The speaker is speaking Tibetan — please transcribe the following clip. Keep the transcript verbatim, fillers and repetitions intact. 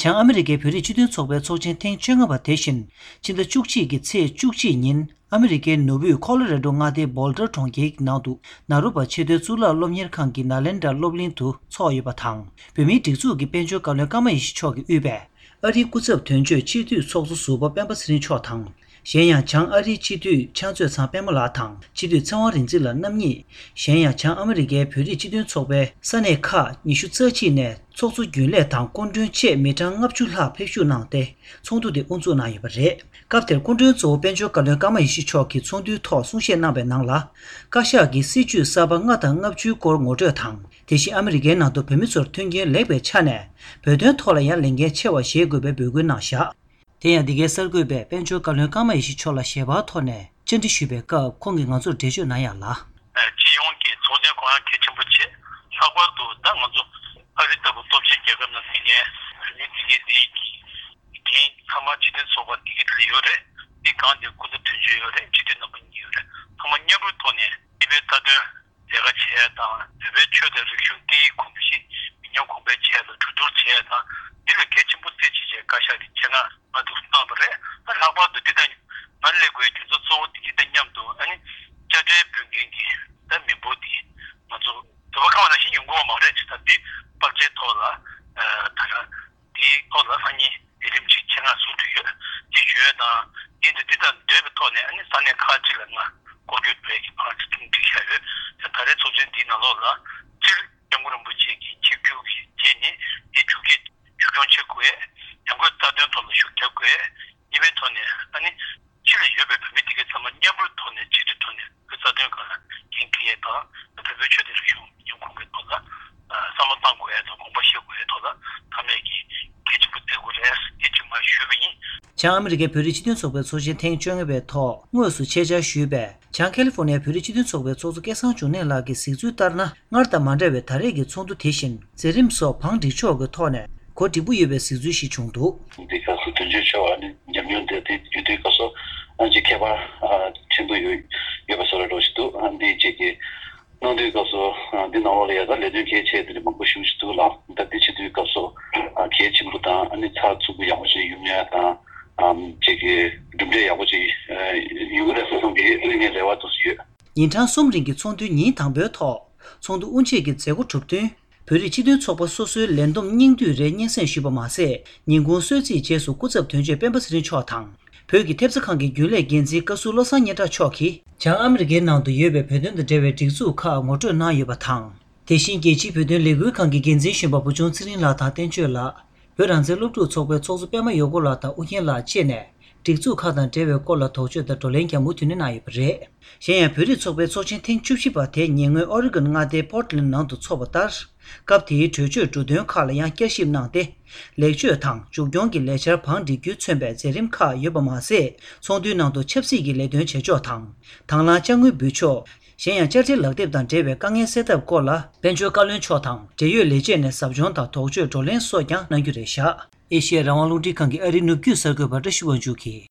བྱང་ཨ་མི་རི་ཀའི་བོད་རིགས་སྤྱི་མཐུན་ཚོགས་པའི་ཚོགས་ཆེན་ཐེངས་བཅོ་ལྔ་པ་དེ་བཞིན་ཕྱི་ཟླ་བཅུ་གཅིག་གི་ཚེས་བཅུ་གཅིག་ཉིན་ཨ་མི་རི་ཀའི་ནུབ་དབུས་ཁོ་ལོ་རེ་ཌོ་མངའ་སྡེའི་བོལ་ཌར་གྲོང་ཁྱེར་གྱི་ནང་དུ་ནཱ་རོ་པ་ཆེས་མཐོའི་གཙུག་ལག་སློབ་གཉེར་ཁང་གི་ནཱ་ལེན་ཌ་སློབ་གླིང་དུ་འཚོགས་ཡོད་པ་དང་། བོད་མིའི་སྒྲིག་འཛུགས་ཀྱི་དཔལ་འབྱོར་བཀའ་བློན་ཀརྨ་ཡེ་ཤེས་མཆོག་གིས་དབུས་པའི་ཨ་རིའི་སྐུ་ཚབ་དོན་གཅོད་སྤྱི་འཐུས་ཚོགས་གཙོ་ཟུར་པ་སྤེན་པ་ཚེ་རིང་མཆོག་དང་། གཞན་ཡང་བྱང་ཨ་རིའི་སྤྱི་འཐུས་ཕྱག་མཛོད་ཚང་པདྨ་ལགས་དང་སྤྱི་འཐུས་ཚེ་དབང་རིག་འཛིན་ལགས་རྣམ་གཉིས། གཞན་ཡང་བྱང་ཨ་མི་རི་ཀའི་བོད་རིགས་སྤྱི་མཐུན་ཚོགས་པའི་ས་གནས་ཁག་ཉི་ཤུ་རྩ་གཅིག་ནས་ཚོགས་གཙོ་རྒྱུན་ལས་དང་སྐུ་མགྲོན་བཅས་མི་གྲངས་ལྔ་བཅུ་ལྷག་ཕེབས་ཞུགས་གནང་སྟེ། ཚོགས་འདུ་དེ་དབུ་འཛུགས་གནང་ཡོད་པ་རེད། སྐབས་དེར་སྐུ་མགྲོན་གཙོ་བོ་དཔལ་འབྱོར་བཀའ་བློན་ཀརྨ་ཡེ་ཤེས་མཆོག་གིས་ཚོགས་འདུའི་ཐོག་གསུང་བཤད་གནང་བའི་ནང་ལ། བཀའ་ཤག་གིས་སྲིད་བྱུས་གསར་པ་ལྔ་དང་ལྔ་བཅུའི་སྐོར་ངོ་སྤྲོད་དང་། དེ་བཞིན་ཨ་མི་རི་ཀའི་ནང་དུ་བོད་མི་ཚོར་མཐུན་རྐྱེན་ལེགས་པའི་ཆ་ནས། བོད་དོན་ཐོག་ལ་ཡང་ལས་འགན་ཆེ་བ་བཞེས་དགོས་པའི་འབོད་སྐུལ་གནང་བཞག་དེ་ཡང་འདི་གའི་གསར་འགོད་པས་དཔལ་འབྱོར་བཀའ་བློན་ཀརྨ་ཡེ་ཤེས་མཆོག་ལ་ཞལ་པར་ཐོག་ནས་བཅར་འདྲི་ཞུས་པའི་སྐབས། ཁོང་གིས་ང་ཚོར་འགྲེལ་བརྗོད་གནང་ཡག་ལ། སྤྱི་ཡོངས་ཀྱི་ཚོགས་ཆེན་ཁོ་རང་གལ་ཆེན་པོ་བྱེད། ལྷག་པར་དུ་ད་ང་ཚོ་ཨ་རི་ལྟ་བུ་སྟོབས་ཆེན་རྒྱལ་ཁབ་ནང་ཕེབས་མཁན་བོད་མི་འདི་གའི་འདི་གི་འགན་ཚང་མ་སྤྱི་མཐུན་ཚོགས་པ་འདི་གའི་ལ་ཡོད་རེད། འདི་གང་དེ་སྐུ་ཚབ་དོན་གཅོད་ཡོད་རེད། སྤྱི་འཐུས་རྣམ་པ་གཉིས་ཡོད་རེད། ཚང་མ་མཉམ་རུབ་ཐོག་ནས་སྤྱི་པའི་རྩ་དོན་ལས་ཀ་བྱེད་ཡ་དང་། བོད་པའི་ཆོས་དང་རིག་གཞུང་སྐད་ཡིག་གོམས་གཤིས་མི་ཉམས་གོང་འཕེལ་བྱེད་ཡ་དང་། གྲོས་བསྡུར་བྱེད་ཡ་དང་། འདི་ལ་གལ་ཆེན་པོ་རྩིས་བྱེད་བྱས་བཀའ་ཤག་གིས་ཆེད་མངགས་ང་འདུག་གནང་བ་རེད། ད་ལྷག་པར་དུ་འདི་དང་ང་སླེབས་དགོས་རྒྱུ་མཚན་གཙོ་བོ་དེ་འདི་དང་མཉམ་དུ། ཨ་ནི་དཔྱ་ཁྲལ་འབུལ་མཁན་གྱི་ད་མི་འབོར་དེ་ང་ཚོ་དུ་བ་ཁ་བ་ནང་བཞིན་ཡོང་གི་ཡོད་མ་རེད། ཅེས་ད་འདི་དཔག་ཆའི་ཐོག་ལ་ད་རང་དེའི་ཐོག་ལ་སང་ཉིན་ལས་རིམ་ཅིག་ཆེད་མངགས་ཟུར་དུ་ཡོད། དེ་ཞུ་ཡ་དང་། འདི་འདི་དང་འབྲེལ་བའི་ཐོག་ནས་ཨ་ནི་ས་གནས་ཁག་ཅིག་ལ་ང་སྐོར་སྐྱོད་འགྲོ་ཡ་གི་ཕར་ཚིག་ཐུང་བསྒྲིགས་བཞག་ཡོད། ད་ད་རེས་ཚོགས་ཆེན་འདིའི་ནང་ལོགས་ལ་སྤྱིར་སྐྱབས་མགོན་རིན་པོ་ཆེ་གི་ཆིབས་བསྒྱུར་གྱི་རྗེས་ནས་དེ་ཆུ་སྐྱེས་ཆུ་སྐྱོང་བྱེད་དགོས། ཡང་སྒོས་རྩ་དོན་ཐོག་ལ་ཤུགས་རྒྱག་དགོས། གཉིས་པའི་ཐོག་ནས་ཨ་ནི་ཕྱི་ལ་ཡོད་པའི་བོད་མི་དེ་གའི་ཚང་མ་མཉམ་རུབ་ཐོག་ནས་གཅིག་སྒྲིལ་ཐོག་ནས་བོད་རྩ་དོན་སྒང་ལ་འགན་འཁྱེར་ཡས་དང་། བོད་པའི་ཆོས་དང་རིག་གཞུང་མི་ཉམས་གོང་འཕེལ་ཐོག་ལ་བསམ་བློ་གཏང་དགོས་ཡས་དང་། དགོངས་པ་བཞེས་དགོས་ཡས་ཐོག་ལ་ཚང་མས་ཀྱི་གལ་ཆེན་པོ་བརྩི་དགོས་རེད། དེ་གཅིག་མ་ཞུས་པ་ཡིན། བྱང་ཨ་མི་རི་ཀའི་བོད་རིགས་སྤྱི་མཐུན་ཚོགས་པའི་ཚོགས་ཆེན་ཐེངས་བཅོ་ལྔ་པའི་ཐོག་དངོས་སུ་ཆེད་བཅར་ཞུས་པའི་བྱང་ཁ་ལི་ཧྥོ་ནི་ཡའི་བོད་རིགས་སྤྱི་མཐུན་ཚོགས་པའི་ཚོགས་གཙོ་སྐལ་བཟང་འབྱུང་གནས་ལགས་ཀྱིས་གཟིགས་ཚུལ་ལྟར་ན། སྔར་དང་མ་འདྲ་བའི་ད་རེས་ཀྱི་ཚོགས་འདུ་དེ་བཞིན་མཛད་རིམ་སོགས་བང་སྒྲིག་ཕྱོགས་ཀྱི་ཐོག་ནས་གོ་སྒྲིག་པོ་ཡོད་པའི་གཟིགས་ཚུལ་ཞིག་བྱུང་འདུག་འདི་སྐབས་སུ་དོན་གཅོད་ཆེ་བ་ནི་ཉམས་མྱོང་དེ་དེ་ཡོད་དུས་སྐབས་སུ་ཨ་ཅེ་ཁྱད་པར་ཆེན་པོ་ཡོད་ཡོད་པ་བཟོ་འདྲ་འདྲ་ཞིག་འདུག་འདི་ཅིག་གི་གནང་དུས་སྐབས་སུ་འདི་ནང་ལོགས་ལ་ཡ་ད་ལས་དོན་གལ་ཆེ་དེ་འདྲ་མང་པོ་ཞིག་ཞིག་འདུག་ལ། ད་འདི་བྱེད་དུས་སྐབས་སུ་གལ་ཆེན་པོ་དང་། ཨ་ནི་ཚགས་ཚུད་པོ་ཡག་པོ་ཞིག་ཡོང་ཡ་དང་། ཅིག་གི་གྲུབ་འབྲས་ཡག་པོ་ཅིག་ཡོང་གི་རེད་བསམ་གི་ངས་རེ་བ་འདུག་ཡོད། ཉིན་གྲངས་གསུམ་རིང་གི་ཚོགས་འདུའི་ཉིན་དང་པོའི་ཐོག་ཚོགས་འདུ་དབུ་འབྱེད་ཀྱི་མཛད་སྒོ་གྲུབ་བསྟུན། བོད་རིགས་སྤྱི་མཐུན་ཚོགས་པ་སོ་སོའི་ལས་བསྡོམས་སྙིང་བསྡུས་རེ་སྙན་སེང་ཞུས་པ་མ་ཟད། ཉིན་གུང་གསོལ་ཚིགས་རྗེས་སུ་སྐུ་ཚབ་དོན་གཅོད་སྤེན་པ་ཚེ་རིང་མཆོག་དང་། བོད་ཀྱི་ཐེབས་རྩ་ཁང་གི་རྒྱུན་ལས་འགན་འཛིན་བཀའ་ཟུར་བློ་བཟང་སྙན་གྲགས་མཆོག་གིས། བྱང་ཨ་མི་རི་ཀའི་ནང་དུ་ཡོད་པའི་བོད་དོན་དང་འབྲེལ་བའི་སྒྲིག་འཛུགས་ཁག་ངོ་སྤྲོད་གནང་ཡོད་པ་དང་། དེ་བཞིན་རྒྱལ་སྤྱིའི་བོད་དོན་ལས་འགུལ་ཁང་གི་འགན་འཛིན་གཞོན་པ་བུ་ཆུང་ཚེ་རིང་ལགས་དང་བསྟན་ཆོས་ལགས། བོད་རང་བཙན་སློབ་ཕྲུག་ཚོགས་པའི་ཚོགས་གཙོ་པད་མ་ཡོ་ཀོ་ལགས་དང་ཨུ་རྒྱན་ལགས་བཅས་ནས། སྒྲིག་འཛུགས་ཁག་དང་འབྲེལ་བའི་སྐོར་ལ་དོགས་གཅོད་དང་བགྲོ་གླེང་ཀྱང་མུ་མཐུད་ནས་གནང་ཡོད་པ་རེད། གཞན་ཡང་བོད་རིགས་ཚོགས་པའི་ཚོགས་ཆེན་ཐེངས་བཅུ་བཞི་པ་དེ་ཉེ་སྔོན་ཨོ་རི་གོན་མངའ་སྡེའི་པོར་ཊི་ལན་ནང་དུ་འཚོགས་པ་ལྟར། སྐབས་དེའི་གྲོས་ཆོད་འབྲུ་དོན་ཁག་ལ་ཡང་བསྐྱར་ཞིབ་གནང་སྟེ། ལེགས་བཅོས་དང་མཇུག་སྐྱོང་གི་ལས་འཆར་བང་སྒྲིག་རྒྱུས་མཚོན་པའི་མཛད་རིམ་ཁག་ཡོད་པ་མ་ཟད། ཚོགས་འདུའི་ནང་དུ་ཆབ་སྲིད་ཀྱི་ལས་དོན་བྱེད་ཕྱོགས་དང་། དང་བླངས་དཔྱ་དངུལ་འབུལ་ཕྱོགས། གཞན་ཡང་དཔྱ་ཁྲལ་ལག་དེབ་དང་འབྲེལ་བའི་དཀའ་ངལ་སེལ་ཐབས་སྐོར་ལ་དཔལ་འབྱོར་བཀའ་བློན་མཆོག་དང་འབྲེལ་ཡོད་ལས་བྱེད་ནས་ཟབ་སྦྱོང་དང་དོགས་གཅོད་བགྲོ་གླེང་སོགས་ཀྱང་གནང་རྒྱུ་རེད་བཞག་ཨེ་ཤེ་ཡ་རང་དབང་རླུང་འཕྲིན་ཁང་གི་ཨ་རིའི་ནུབ་རྒྱུད་གསར་འགོད་པ་བཀྲ་ཤིས་དབང་ཕྱུག་གིས།